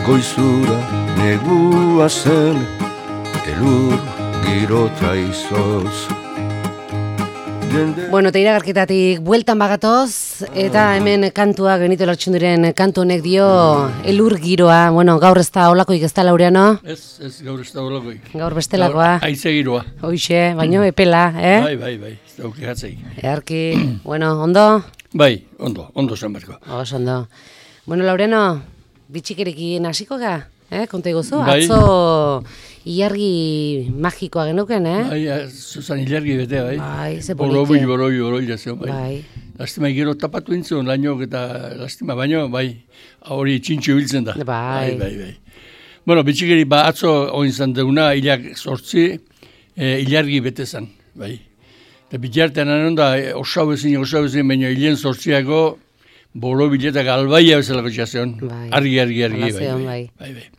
goizura negua zen, elur girota izoz. Bueno, eta iragarketatik bueltan bagatoz, eta hemen kantua Benito Lertxundiren kantu honek dio elur giroa. Bueno, gaur ez da olakoik ez da, Laureano? Ez, gaur ez da olakoik. Gaur bestelakoa. Haize giroa. Hoixe, baino epela, Bai, ez da ukegatzei. Earki, bueno, ondo? Bai, ondo zen berko. Ondo. Bueno, Laureano, bitxikerekin hasiko ga? Konta iguzu? Bai. Atzo ilargi magikoa genuken, Bai, zuzan ilargi betea, bai. Bai, ze polite. Boroi jazion, bai. Bai. Lastima gero tapatu intzun, lainok eta lastima baino, bai, hori txintxo biltzen da. Bai. Bueno, bitxikeri atzo oinzan deuna, hilak 8, ilargi bete zan, bai. Eta bitartean anon da, osau ezin, baina hilen 8ako boro biletak albaia bezalako txazion. Bai. Argi, bai.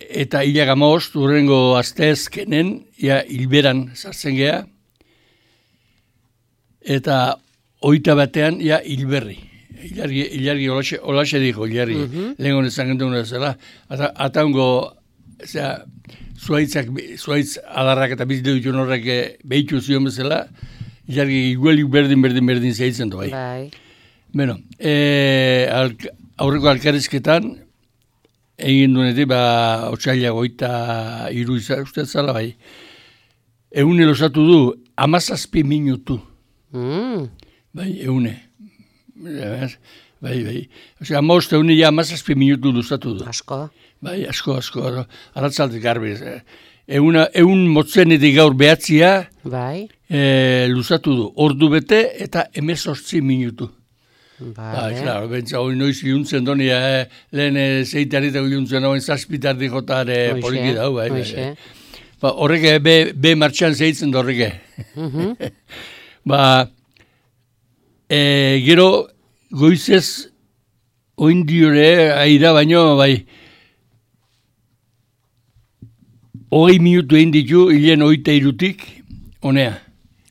Eta hilak 15, urrengo asteazkenen, hilberan sartzen geha, eta 21 hilberri. Ilargi olaxe diko, ilargi. Lehen honezan gendun zela. Ataungo, zuaitz adarrak eta biziteu ditun horrek behitu zion bezala, ilargi iguelik berdin zeitzen du, bai. Bueno, aurreko alkarrizketan, egin duenetik, otsaila 23 uste zala, bai. Eune losatu du, 17 minutu. Bai, eune. Bai. Osea, 17 minutu luzatu du. Asko. Bai, asko. Arratzaldik garbi. Egun motzenetik gaur behatzia, bai. Luzatu du. Ordu bete eta 18 minutu. Vale. Claro, bentsa hori noiz iluntzen doni, lehen zeitaritako iluntzen hori zazpitardi jotare poliki dau, bai. Horrek be martxan zeitzen da horrek. Gero goizez oindiore aira baino, bai, 20 minutu egin ditu, hilen 23, honea.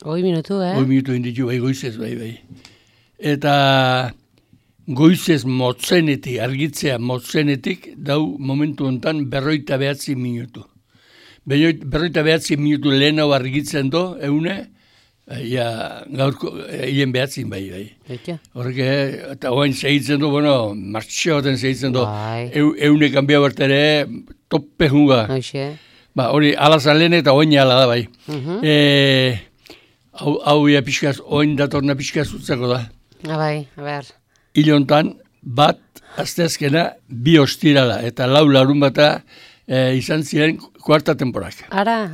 20 minutu, 20 minutu egin ditu, bai, goizez, bai. Eta goizez motzenetik, argitzea motzenetik, dau momentu honetan 49 minutu. 49 minutu lehenago argitzen do, eune, gaurko, hien behatzin bai. Horrek, eta oain segitzen du, martxea baten segitzen du, eune kanbia bertere, toppe junga. Hori, alazan lehen eta oain ala da bai. Hau pixkaz, oain datorna pixkaz utzako da. Bai, a ber. Ilontan, bat, asteazkena, 2 ostirala, eta 4 larun bata izan ziren kuarta temporak. Ara,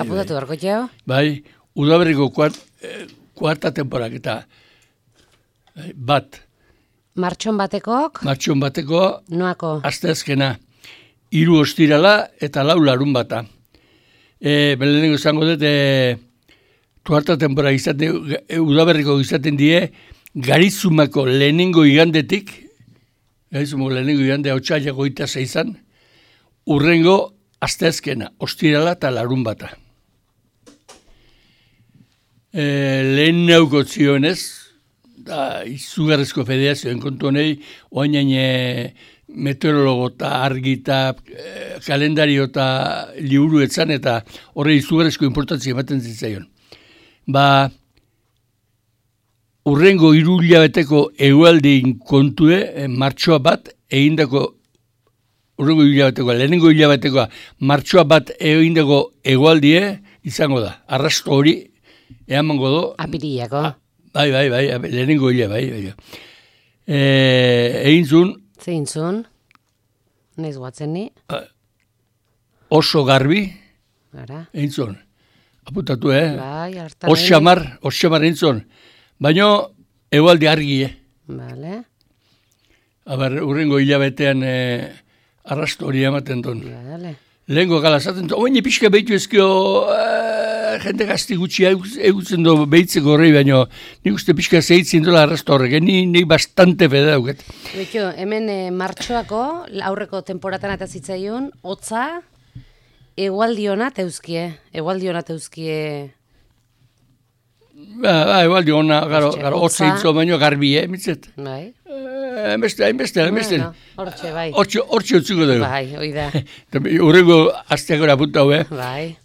apudatu darko jau? Bai, udaberriko kuarta temporak, eta bat. Martxon batekok? Martxon bateko, noako? Asteazkena, 3 ostirala, eta 4 larun bata. Belenengo izango dut, kuarta temporak izaten, udaberriko izaten die, Garizumako lehenengo igandetik, otsailako 26an, urrengo asteazkena, ostirala eta larun bata. Lehen nauko zionez, izugarrezko federazioen kontu honei, oainain meteorologo eta argi eta kalendario eta liburu etzan, eta horre izugarrezko importantzia ematen zitzaion. Urrengo 3 hilabeteko egualdein kontue, martxoa bat, egindako, urrengo lehenengo hilabetekoa, martxoa bat egindako egualdie izango da. Arrasto hori, eamango do. Apiriako. Bai, lehenengo hilabetekoa, bai. Egintzun. Zeintzun? Neiz guatzen ni? Oso garbi. Egintzun. Aputatu, Bai, hartan. Osamar egintzun. Baina, egualdi argi, Vale. Urrengo hilabetean arrasto hori ematen duen. Vale. Lehenko gala zaten, oain pixka behitu ezkio jende gazti gutxi egutzen du behitzeko horrei, baina nik uste pixka zehitzen dola arrasto horrek, ni bastante fede dauket. Beto, hemen martxoako, aurreko temporatan eta zitzaion, hotza, egualdionat euskie. Egualdi hona, gara hotza hitzo baino garbi, mitzet. Bai. hainbeste. Hortxe, bai. Hortxe utziko dugu. Bai, hoi da. Horrego asteakora punta hau, Bai.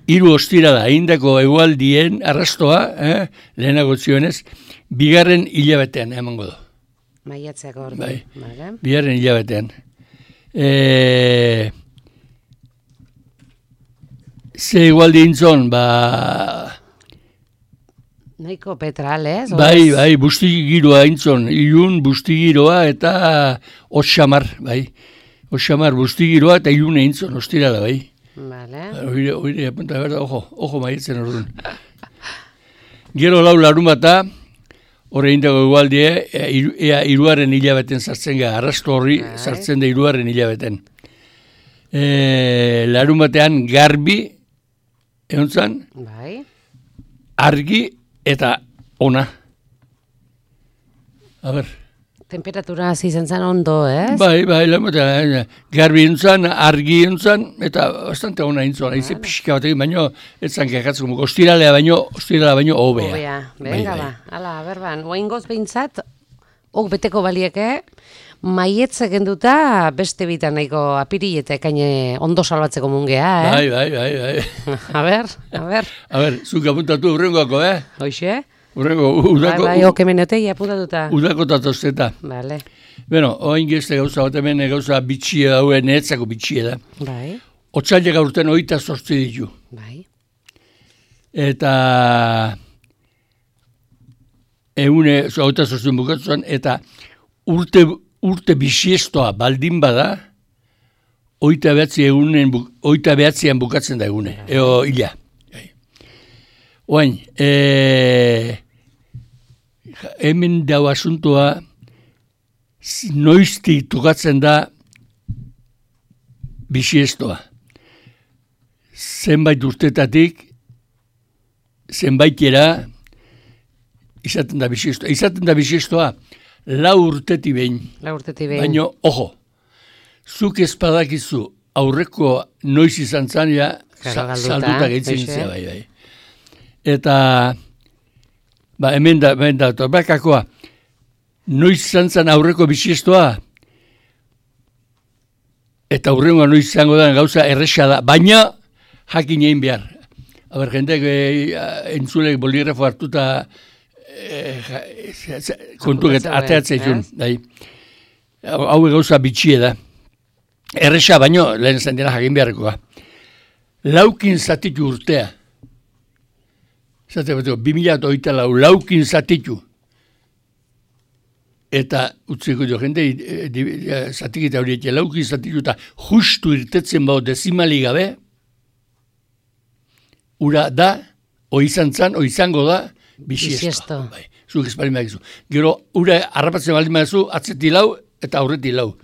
3 ostira da, indako egualdien arrastoa, lehenago zionez, 2. hilabetean emango du. Maiatzeak ordu. Bai. Vale. 2. hilabetean. Ze egualdi intzon, Nahiko petral, ez? Bai, bustigiroa intzon, ilun bustigiroa eta otxamar, bai. Otxamar bustigiroa eta ilune intzon, ostira da, bai. Vale. Oire, apunta, berda, ojo maitzen orduan. Gero lau larumata, horre indako egualdie, ea 3. hilabeten sartzen ga, arrasto horri sartzen da 3. hilabeten. Larumatean garbi, egontzan, Bai. argi eta ona. A ber. Temperatura hasi zen ondo, ez? Bai, garbi entzan, argi entzan, eta bastante ona entzan. Haize pixka batekin, baino, etzan kekatzen, ostiralea baino hobea. Hobea, venga ba. Hala, berban, oaingoz behintzat, beteko balieke, maietze genduta beste bitan nahiko apiri eta ekaine ondo salbatzeko mungea, Bai. A ber. A ber, zuk apuntatu urrengoako, Hoxe? Urrengo, udako... Bai, okemenotei apuntatuta. Udako tatozteta. Vale. Bueno, oain gezte gauza bat hemen gauza bitxia daue, netzako bitxia da. Bai. Otsailek aurten 28 ditu. Bai. Eta... 28 bukatzuan, eta urte bisiestoa baldin bada, 29an bukatzen da egune, eo hila. Oain, hemen dau asuntoa noiztik tokatzen da bisiestoa. Zenbait urtetatik, zenbaitera, izaten da bisiestoa. Izaten da bisiestoa 4 urtetik behin. 4 urtetik behin. Baina, ojo, zuk ezpadakizu aurreko noiz izan zan, ja, salduta gehitzen zea, bai. Eta, hemen da, torbakakoa, noiz izan zan aurreko bisiestoa, eta aurrengoa noiz izango da gauza erresa da, baina jakin egin behar. Aber, jendek entzulek boligrafo hartuta kontuket ateatzea izun. Hau gauza bitxie da. Erresa baino, lehen zen dira jakin beharrekoa. 4 zatitu urtea. Zate bateko, 2024 4 zatitu. Eta utziko jo jende, zatikita horiek, 4 zatitu eta justu irtetzen bau dezimali gabe, ura da, izango da, bisiesto. Zuk espalin behar gizu. Gero, ura harrapatzen baldin behar zu, atzeti lau eta aurreti lau.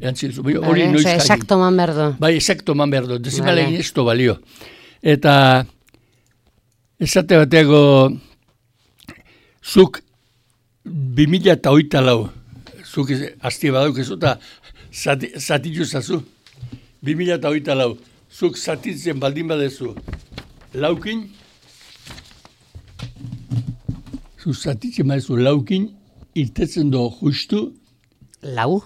Hori noiz jakin. Exacto man berdo. Bai, exacto man berdo. Dezimalegin esto balio. Eta, esate bateko, zuk 2024, zuk azti badauk ez eta zatitu zazu. 2024, zuk zatitzen baldin badezu laukin, zuk zatitzen badezu laukin, irtetzen do justu. Lau?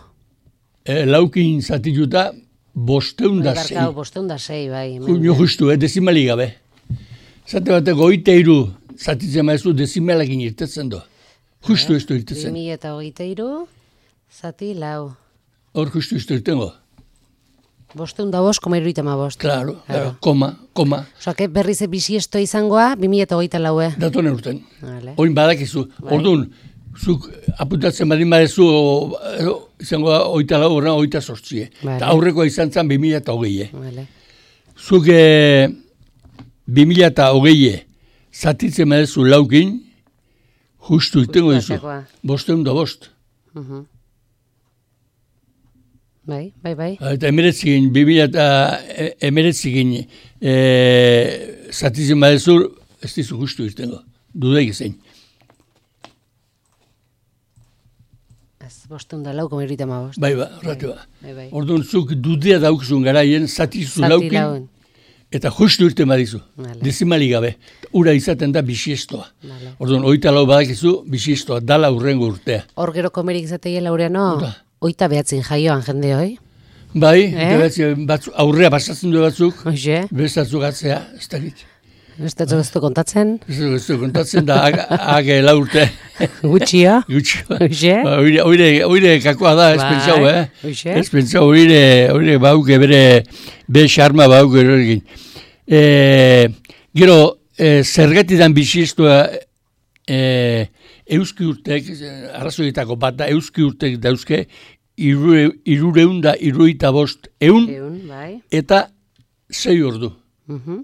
Laukin zatituta 506. 506, bai. Justu, dezimali gabe. Zate bateko 23 zatitzen badezu dezimalakin irtetzen do. Justu ez du irtetzen. 2023, zati lau. Hor justu ez du irtengo. 505,75. Claro, koma. Osa, berriz bisiesto izangoa, 2024. Datone urten. Oin badakizu. Orduan, zuk apuntatzen badin badezu, izango da 24, 28. Eta aurrekoa izan zen 2020. Zuk 2020 zatitzen badezu laukin, justu itengo dizu. 505. Bai. Eta emeretzigin, 2019 zatitzen badezu, ez dizu justu itengo. Dudaik zein. 504,75. Bai, horratu ba. Orduan, zuk dudea daukzun garaien, zatizu laukin, Eta justu irten badizu, Vale. dezimali gabe. Ura izaten da bisiestoa. Vale. Orduan, 24 badakizu bisiestoa, dala urrengo urtea. Hor gero komerik izateia Laureano, Ura. 29 jaioan jende hoi. Bai, aurrea pasatzen du batzuk, Hoxe, bestatzuk atzea, ez dakit. ez dut kontatzen, Ez du kontatzen da, age laurte. gutxia. Gutxi. Hoxe. Oire kakoa da, ez Bai, pentsau, hoxe. Ez pentsau, oire bauke bere, be xarma bauke erorekin. Gero, zergatidan bisistua euski urtek, arrazoietako bat da, euski urtek dauzke, 375 eun, Bai. eta 6 ordu. Mhm.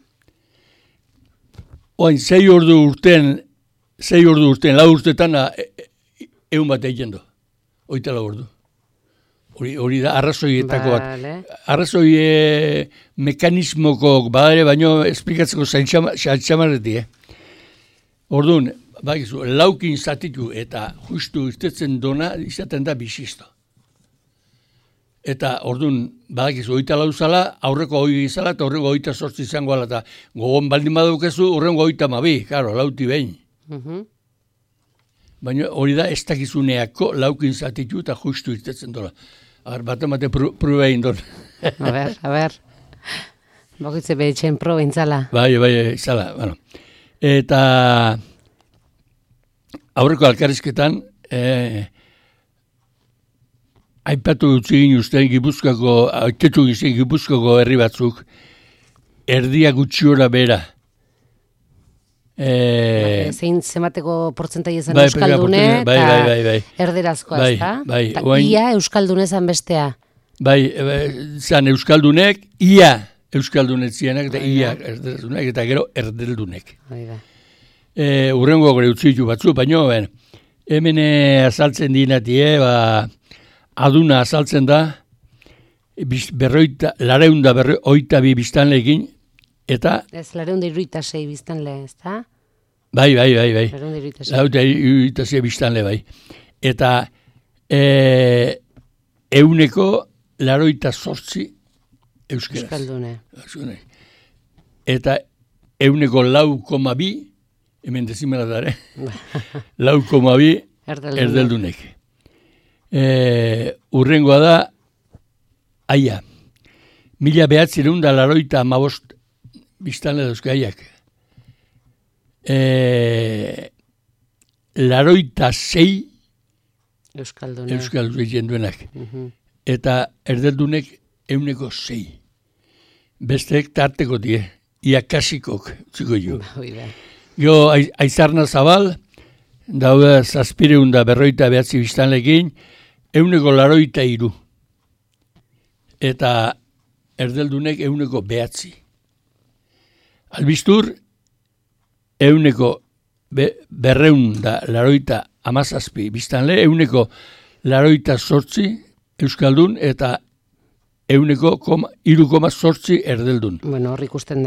Oain, 6 ordu urten, 4 urtetan, eun bat egin du. 24 ordu. Hori da, arrazoietako bat. Vale. Arrazoi mekanismoko badare, baino esplikatzeko zaintxamarreti, Orduan, bakizu, laukin zatitu eta justu irtetzen dona izaten da bisisto. Eta orduan, badakizu, 24 zala, aurreko 20 izala, eta aurreko 28 izango ala, eta gogon baldin badukezu, aurrengo 32, karo, lauti behin. Mhm. Baina hori da, ez dakizuneako laukin zatitu eta justu irtetzen dola. Bate prueba egin don. A ber. Bokitze behitxen proba intzala. Bai, izala, bueno. Eta aurreko alkarrizketan, aipatu dutzi egin ustean Gipuzkoako herri batzuk, erdia gutxiora bera. Zein zemateko portzentai ezan Bai, euskaldune, bai, eta bai. erderazkoa, Bai, ez da? bai, Eta oain- ia euskaldune zan bestea. Bai, zan euskaldunek, ia euskaldunetzianak, eta ia erdeldunek, eta gero erdeldunek. Hori da. Urrengo gore utzitu batzu, baina hemen azaltzen dinatie, aduna azaltzen da, lareunda berroita bi biztanleekin, eta, Ez, 276 biztanle, ez da? bai. 276. Lauta iritasia biztanle bai. Eta euneko 88 euskeraz. Euskaldune. Eta euneko 4,2, hemen dezimela dara, 4,2 erdeldunek. Urrengoa da, aia, 1985 biztanle dauzke aiak. 86 Euskaldune. euskaldune jenduenak. Mhm. Eta erdeldunek euneko 6. Besteek tarteko die, iakasikok, txiko jo. Hoi da. Gero Aizarna Zabal, daude 749 biztanlekin, euneko 83. Eta erdeldunek euneko 9. Albistur, euneko 287 biztanle, euneko 88 euskaldun eta euneko 3,8 erdeldun. Bueno, hor ikusten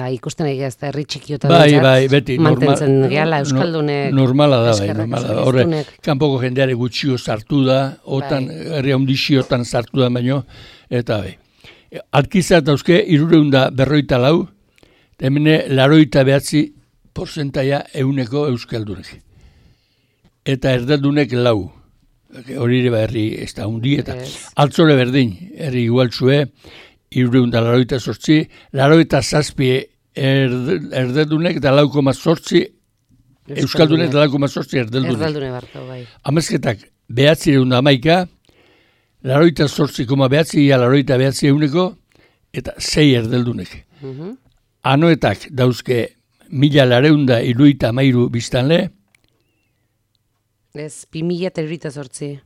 egia ez da herri txikiota Bai, beti. mantentzen gehala euskaldunek. Normala da, bai, eskerrak normala da. esan Horre, diztunek. kanpoko jendeare gutxio sartu da, otan, herri handixiotan sartu da baino, eta bai. Alkizat dauzke, 354, hemene 89% euneko euskaldunek. Eta erdeldunek 4. Hori ere herri ez da hundi, eta altzore berdin, herri igualtzue, 388, 87 erdeldunek eta 4,8 euskaldunek eta 4,8 erdeldunek. Erdeldune barko, bai. Amezketak 911, 88,9 ia 89 euneko, eta 6 erdeldunek. Mhm. Anoetak dauzke 1973 biztanle, Ez, 2008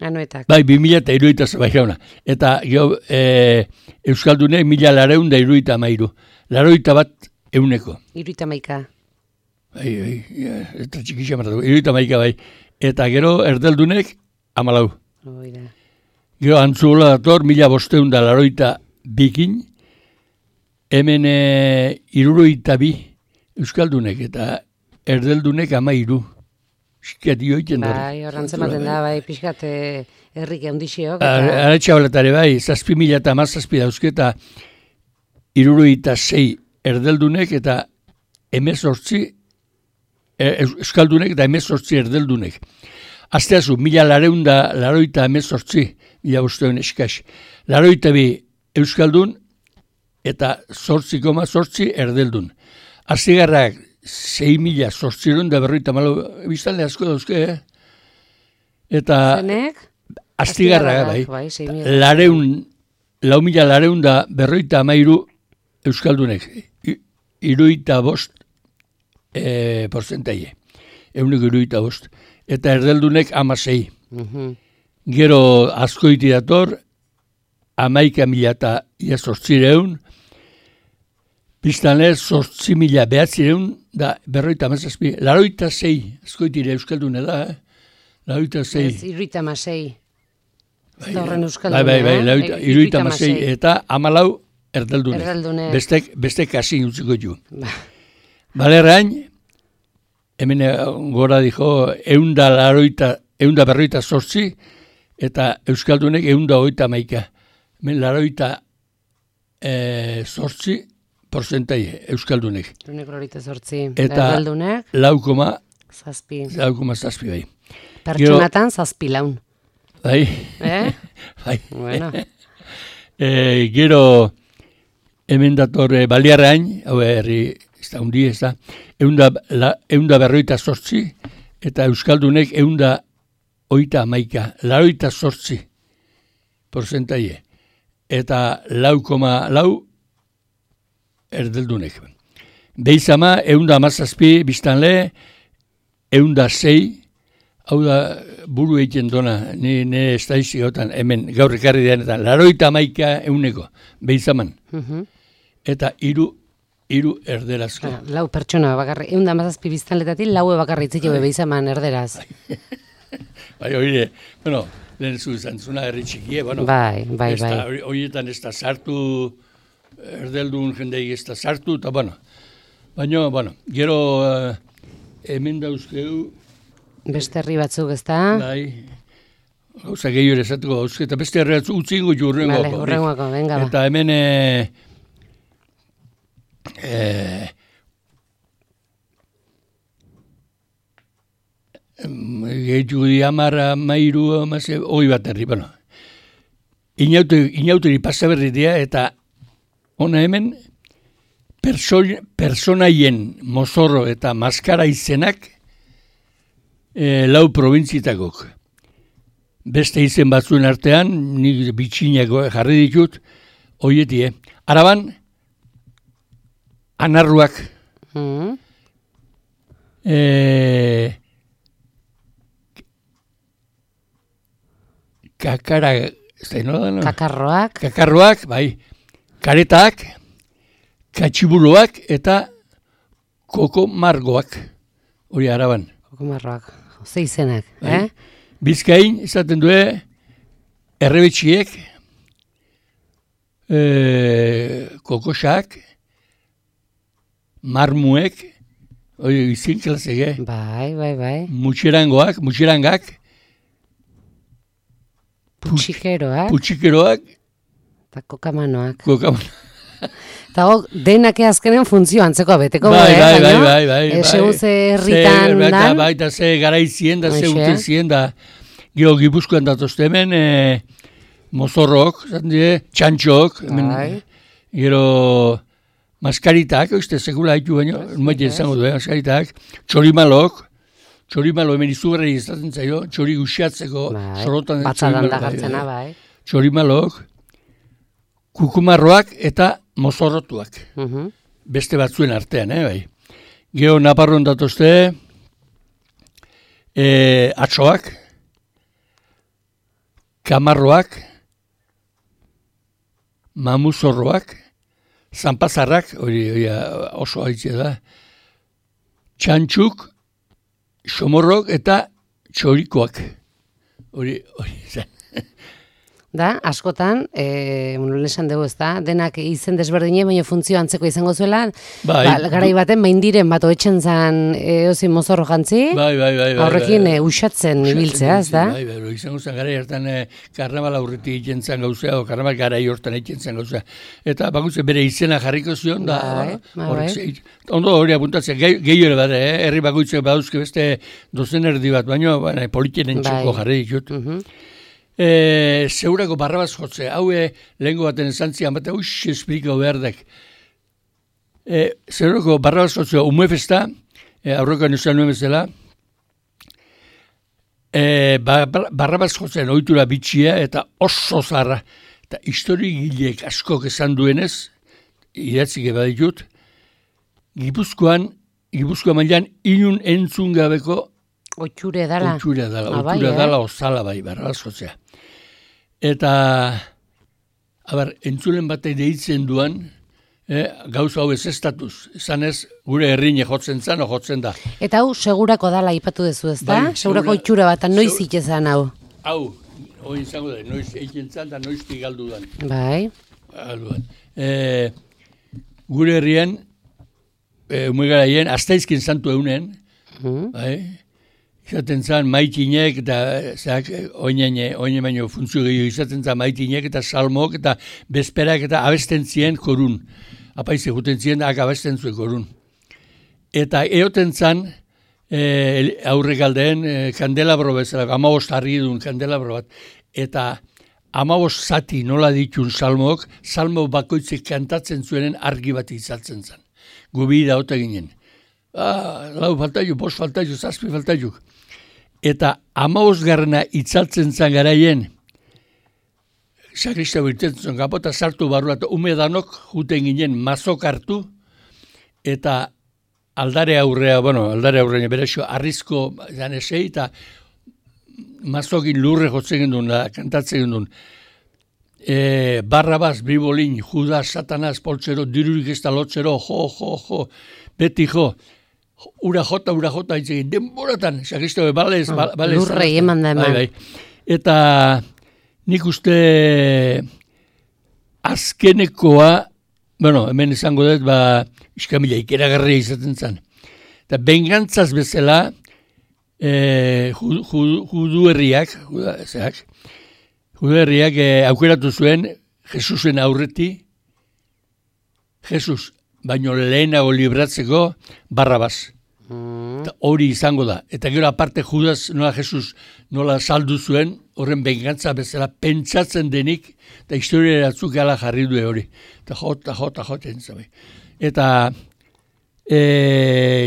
Anoetak. bai, 2008 bai jauna. Eta euskaldune 1973, 81 euneko. 71. Bai, eta txikixia martatu, 71 bai. Eta gero erdaldunek 14. Hoi da. Gero Antzuola dator 1582 hemen 72 euskaldunek eta erdeldunek 13. Xikat joiten dara. Bai, horran zematen da, bai, pixkat herrik eundixiok. Aratxa baletare bai, 7.000 eta 17 dauzke eta 76 erdeldunek eta 18 euskaldunek eta 18 erdeldunek. Asteazu, 1818, 1500 eskaz. 82 euskaldun eta 8,8 erdeldun. Astigarrak 6.840 biztanle asko dauzke, Eta Zenek? astigarrak, bai. 4.453 euskaldunek. 75 porcentaie. 175. Eta erdeldunek 16. Gero askoiti dator, 11.800, biztanle 8.900 da 57. 86 askoitire euskaldune da, 86. Ez, 76. Ez da horren euskaldune. Bai, 76 eta 14 erdeldune. Erdeldune. Bestek hasi utziko ju. Balerrain, hemen gora dijo, 148 eta euskaldunek 138. Hemen 88 porcentaie euskaldunek. Eunek 8. Eta erdeldunek 4,7 bai. Pertsonatan 7 laun. Bai. Bai. Bueno. Gero hemen dator Baliarrain, hau herri ez da hundi, ez da, 158 eta euskaldunek 138, 88 porcentaie. Eta 4,4 erdeldunek. Beizama, 117 biztanle, 106, hau da buru egiten dona, ne estadistikotan, hemen gaur ekarri denetan, 81 beizaman. Eta 3 erderazko. Lau pertsona bakarri, 117 biztanletatik 4 bakarri itziko beizaman erderaz. Bai, oire, bueno, lehen zuzantzuna herri txikie, bueno. Bai. Horietan ez da sartu, erdeldun jendei ez da sartu, eta bueno. Baina, bueno, gero hemen dauzkeu. Beste herri batzuk, ez da? Bai, gauza gehiago esatuko dauzke, eta beste herri batzuk utzi ingo ju urrengoako. Vale, urrengoako, venga ba. Eta hemen gehiago di 10, 13, bat herri, bueno. Inauteri pasaberri dira, eta ona hemen personaien mozorro eta maskara izenak 4 probintzitakok. Beste izen batzuen artean, nik bitxinako jarri ditut, hoietie. Araban, anarruak. Kakarroak, bai. Karetak, katxibuloak eta kokomargoak. Hori araban. Kokomarroak, ze izenak, bai. Bizkain, izaten du, errebetxiek, kokosak, marmuek, hori izin klasege. Bai. Mutxerangak, putxikeroak, eta kokamanoak. Eta denak azkenen funtzio antzeko beteko. Bai. Segun ze herritan dan. Bai, eta ze garaizien, da ze urtezien, da gero Gipuzkoan datozte hemen, mozorrok, txantxok, gero maskaritak, sekula haitu baino, numaite izango du, maskaritak, txorimalok hemen izugarri izaten zaio, txori guxiatzeko, sorotan. Batzadan da gartzena, bai. Txorimalok, kukumarroak eta mozorrotuak. Beste batzuen artean, bai. Gero Naparron datozte, atxoak, kamarroak, mamuzorroak, zanpazarrak, hori oso haitzea da, txantxuk, xomorrok eta txorikoak. Hori zen. da, askotan, esan dugu ez da, denak izen desberdine, baina funtzio antzeko izango zuela, garai baten maindiren bat oetxen zan eozin mozorro jantzi, horrekin usatzen ibiltzea, ez da? Bai, izango zen garai hartan karnaval aurretik egiten zen gauzea, o karnaval garai hortan egiten zen gauzea. Eta bakutze bere izena jarriko zion, ondo hori apuntatzea, gehiore bat, herri bakoitzek badauzke beste dozen erdi bat, baina politienen txoko jarri ditut. Zeurako Barrabas jotze, hau lehenko baten esantzian, bat esplikau behar dek. Zeurako Barrabas jotze, umuefesta, aurrekoan esan nuen bezala, Barrabas jotzen ohitura bitxia eta oso zarra. Eta historigileek askok esan duenez, idatzik baditut, Gipuzkoan mailan inun entzun gabeko Oitxure dala osala bai, Barrabas jotzea. Eta, entzulen batek deitzen duan, gauza hau ez estatuz, esan ez, gure herrine jotzen zan, jotzen da. Eta hau segurako dala ipatu dezu ez da? Segurako oitxura bat, noiz itxezan hau? Hau, hori izango da, noiz eitzen zan, da noiz galdu dan. Bai. Gure herrien, umegaraien, astaizkin santu eunen, bai, izaten zan maitinek eta oine baino funtzio gehiago izaten zan maitinek eta salmok eta bezperak eta abesten zien korun. Apaize juten zien da abesten zuen korun. Eta eoten zan aurrekaldeen kandelabro bezala, 15 harri duen kandelabro bat. Eta 15 zati nola ditun salmok, salmo bakoitzek kantatzen zuenen argi bat izatzen zan. Gubi da ota ginen. 4 faltaiuk, 5 faltaiuk, 7 faltaiuk. Eta 15 itzaltzen zan garaien, sakrista birtetzen zuen kapota sartu barru, eta umedanok juten ginen mazok hartu, eta aldare aurrean berexo arrizko zanesei, eta mazokin lurre jotzen gendun, kantatzen gendun. Barrabas, Bribolin, Judas, Satanaz, poltsero, dirurik ez da lotzero, jo, beti jo. Ura jota, itzegin, denboratan, sakrista balez. Lurrei eman da eman. Bai. Eta nik uste azkenekoa, hemen izango dut, iskamila ikeragarria izaten zen. Eta bengantzaz bezala, judu herriak aukeratu zuen Jesusen aurreti, Jesus, baino lehenago libratzeko Barrabas. Hori izango da. Eta gero aparte Judas nola Jesus nola saldu zuen, horren bengantza bezala pentsatzen denik, eta historia eratzuk gala jarri du hori. Eta jota entzabe. Eta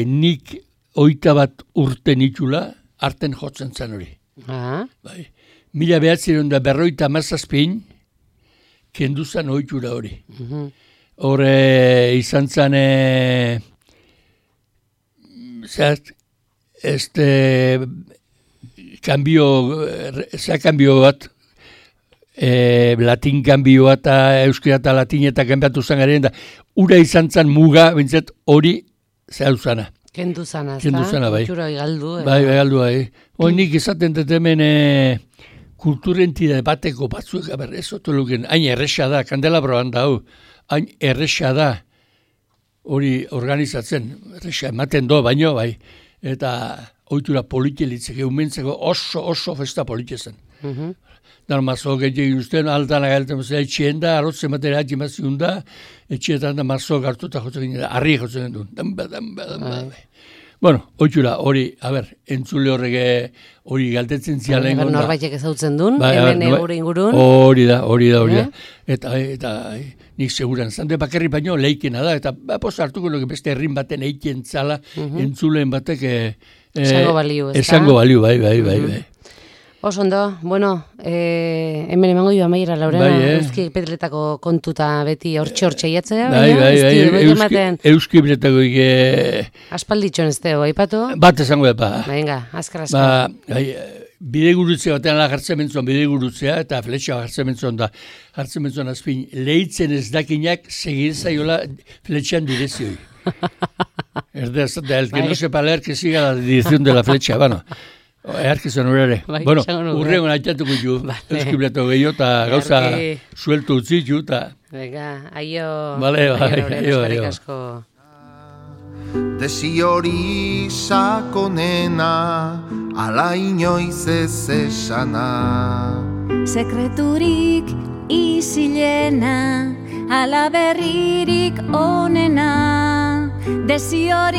nik 21 urte nitula, arten jotzen zen hori. Bai. 1957 kendu zen ohitura hori. Hore izan zen kanbio bat, latin kanbio bat, euskera eta latin eta kanbiatu zen garen, da ura izan zen muga, bintzat hori zehau zana. Kendu zana, bai. Kultura galdu. Bai, galdu, bai. Nik izaten dut hemen kulturentide bateko batzuek, ez otu luken, hain erresa da, kandelabroan da, hain erresa da, hori organizatzen, erresa ematen do, baino, bai, eta ohitura politielitzeke, umentzeko oso festa politiezen. Dan mazok egin usten, altan agalten, etxien da, arrotzen batera atximaziun da, etxietan da mazok hartu eta jotzen ginen, harri jotzen duen, damba. Bueno, ohitura, hori, entzule horrek hori galtetzen zialen. Norbaitek ezautzen duen, hemen egure ingurun. Hori da. Eta nik seguran, zande bakarri baino leikena da, eta posta hartuko nuke beste herrin baten eiken zala, entzuleen batek esango baliu, ez da? Esango baliu, bai. Ondo, bueno, hemen emango joa maira, Laurena, Euski Petletako kontuta beti hortxe iatzea, bai, Euski Petletako aspalditxon ez teo, aipatu? Bat esango epa. Venga, askar. Bidegurutze batean jartzen mentzon, bidegurutzea, eta fletxa jartzen mentzon azpin, lehitzen ez dakinak segirzaiola fletxan direzioi. Erdea, el que no sepa leer, que siga la dirección de la flecha, bueno. Earkizan urare. Bueno, urrengo naitatuko ju. Eskibleto gehiago eta gauza sueltu utzitu eta... Venga, aio. Vale, aio. Desi hori sakonena, ala inoiz ez esana. Sekreturik isilena, ala berririk onena. Desi hori